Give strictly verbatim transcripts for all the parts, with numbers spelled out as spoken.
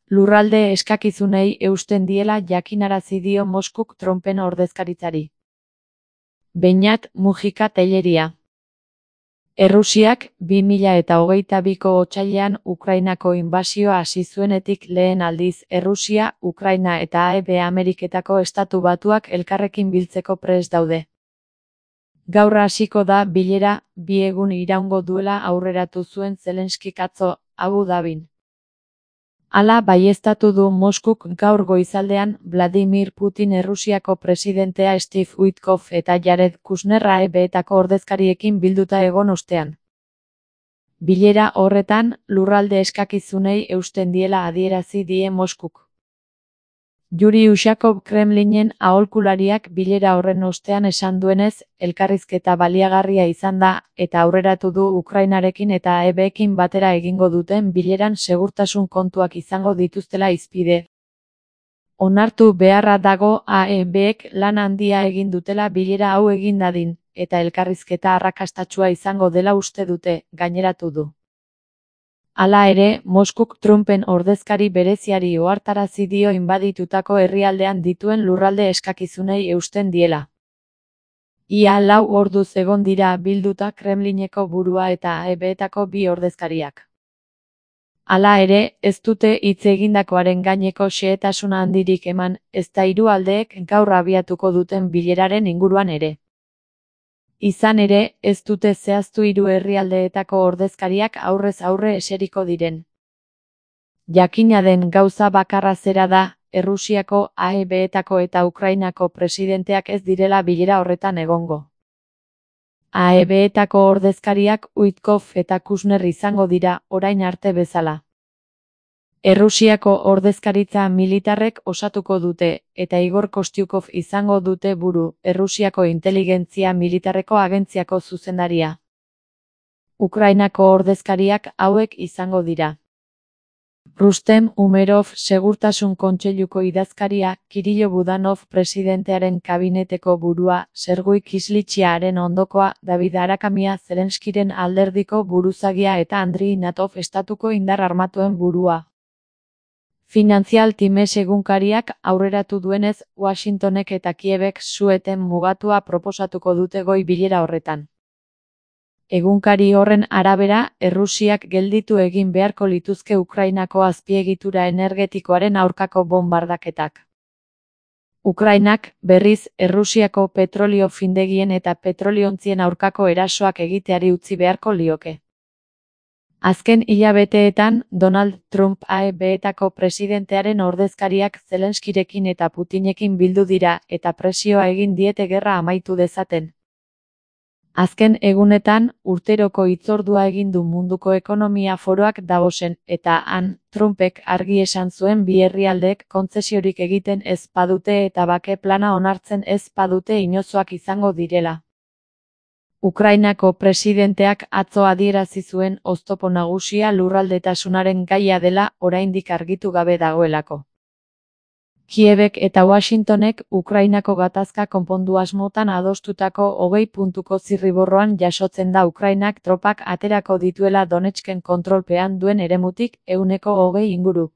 lurralde eskakizunei eusten diela jakinarazi dio Moskuk Trumpen ordezkaritzari. Beñat Mujika Telleria. Errusiak bi mila eta hogeita biko otsailean Ukrainako inbasioa hasi zuenetik lehen aldiz Errusia, Ukraina eta Hego Ameriketako Estatu Batuak elkarrekin biltzeko prest daude. Gaur hasiko da bilera, bi egun iraungo duela aurreratu zuen Zelenskik atzo, Abu Dhabin. Hala baieztatu du Moskuk gaur goizaldean Vladimir Putin Errusiako presidentea Steve Witkoff eta Jared Kushner E B-etako ordezkariekin bilduta egon ostean. Bilera horretan, lurralde eskakizunei eusten diela adierazi die Moskuk. Yuri Ushakov Kremlinen aholkulariak bilera horren ostean esan duenez, elkarrizketa baliagarria izan da, eta aurreratu du Ukrainarekin eta E B-ekin batera egingo duten bileran segurtasun kontuak izango dituztela hizpide. Onartu beharra dago A E B-ek lan handia egin dutela bilera hau egin dadin, eta elkarrizketa arrakastatsua izango dela uste dute, gaineratu du. Hala ere, Moskuk Trumpen ordezkari bereziari ohartarazi dio inbaditutako herrialdean dituen lurralde eskakizunei eusten diela. Ia lau orduz egon dira bilduta Kremlineko burua eta E B-etako bi ordezkariak. Hala ere, ez dute hitz egindakoaren gaineko xehetasuna handirik eman, ezta hiru aldeek gaur abiatuko duten bileraren inguruan ere. Izan ere, ez dute zehaztu hiru herrialdeetako ordezkariak aurrez aurre eseriko diren. Jakina den gauza bakarra zera da, Errusiako, A E B-etako eta Ukrainako presidenteak ez direla bilera horretan egongo. A E B-etako ordezkariak Witkoff eta Kushner izango dira, orain arte bezala. Errusiako ordezkaritza militarrek osatuko dute, eta Igor Kostyukov izango dute buru, Errusiako inteligentzia militarreko agentziako zuzendaria. Ukrainako ordezkariak hauek izango dira. Rustem Umerov Segurtasun Kontseiluko idazkaria, Kirilo Budanov presidentearen kabineteko burua, Sergei Kislitsyaren ondokoa, David Arakamia Zelenskiren alderdiko buruzagia eta Andriy Natov estatuko indar armatuen burua. Financial Times egunkariak aurreratu duenez, Washingtonek eta Kievek su-eten mugatua proposatuko dute goi bilera horretan. Egunkari horren arabera, Errusiak gelditu egin beharko lituzke Ukrainako azpiegitura energetikoaren aurkako bonbardaketak. Ukrainak, berriz, Errusiako petrolio findegien eta petroliontzien aurkako erasoak egiteari utzi beharko lioke. Azken hilabeteetan, Donald Trump A E B-etako presidentearen ordezkariak Zelenskirekin eta Putinekin bildu dira eta presioa egin diete gerra amaitu dezaten. Azken egunetan, urteroko hitzordua egin du Munduko Ekonomia Foroak Davosen, eta han, Trumpek argi esan zuen bi herrialdeek kontzesiorik egiten ez badute eta bake plana onartzen ez badute inozoak izango direla. Ukrainako presidenteak atzo adierazi zuen oztopo nagusia lurraldetasunaren gaia dela oraindik argitu gabe dagoelako. Kievek eta Washingtonek Ukrainako gatazka konpondu asmotan adostutako hogei puntuko zirriborroan jasotzen da Ukrainak tropak aterako dituela Donetsken kontrolpean duen eremutik ehuneko hogei inguru.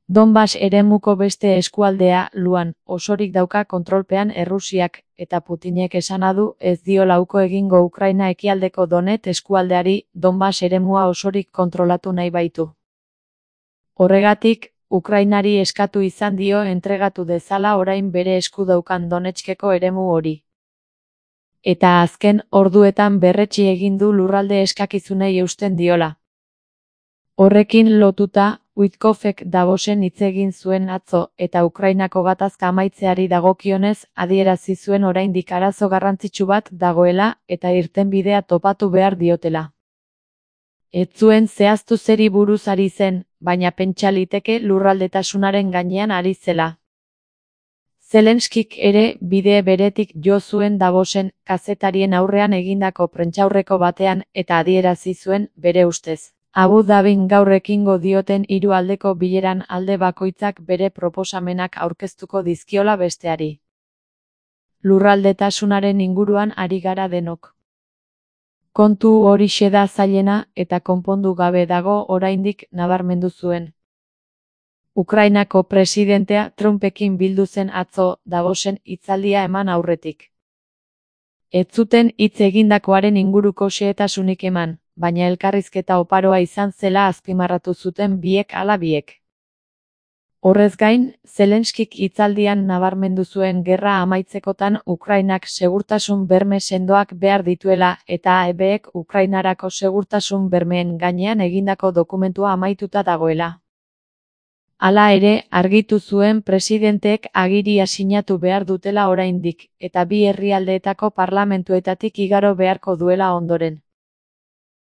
Donbas eremuko beste eskualdea, Luan, osorik dauka kontrolpean Errusiak, eta Putinek esana du ez diola uko egingo Ukraina ekialdeko Donet eskualdeari, Donbas eremua osorik kontrolatu nahi baitu. Horregatik, Ukrainari eskatu izan dio entregatu dezala orain bere esku daukan Donetskeko eremu hori. Eta azken orduetan berretsi egin du lurralde eskakizunei eusten diola. Horrekin lotuta, Witkoffek Davosen hitz egin zuen atzo, eta Ukrainako gatazka amaitzeari dagokionez adierazi zuen oraindik arazo garrantzitsu bat dagoela eta irtenbidea topatu behar diotela. Ez zuen zehaztu zeri buruz ari zen, baina pentsa liteke lurraldetasunaren gainean ari zela. Zelenskik ere bide beretik jo zuen Davosen kazetarien aurrean egindako prentsaurreko batean eta adierazi zuen bere ustez. Abu Dhabin gaur ekingo dioten hiru aldeko bileran alde bakoitzak bere proposamenak aurkeztuko dizkiola besteari. Lurraldetasunaren inguruan ari gara denok. Kontu horixe da zailena eta konpondu gabe dago oraindik nabarmendu zuen. Ukrainako presidentea Trumpekin bildu zen atzo Davosen hitzaldia eman aurretik. Ez zuten hitz egindakoaren inguruko xehetasunik eman, baina elkarrizketa oparoa izan zela azpimarratu zuten biek ala biek. Horrez gain, Zelenskik hitzaldian nabarmendu zuen gerra amaitzekotan Ukrainak segurtasun berme sendoak behar dituela eta A E Bek Ukrainarako segurtasun bermeen gainean egindako dokumentua amaituta dagoela. Hala ere, argitu zuen presidenteek agiria sinatu behar dutela oraindik, eta bi herrialdeetako parlamentuetatik igaro beharko duela ondoren.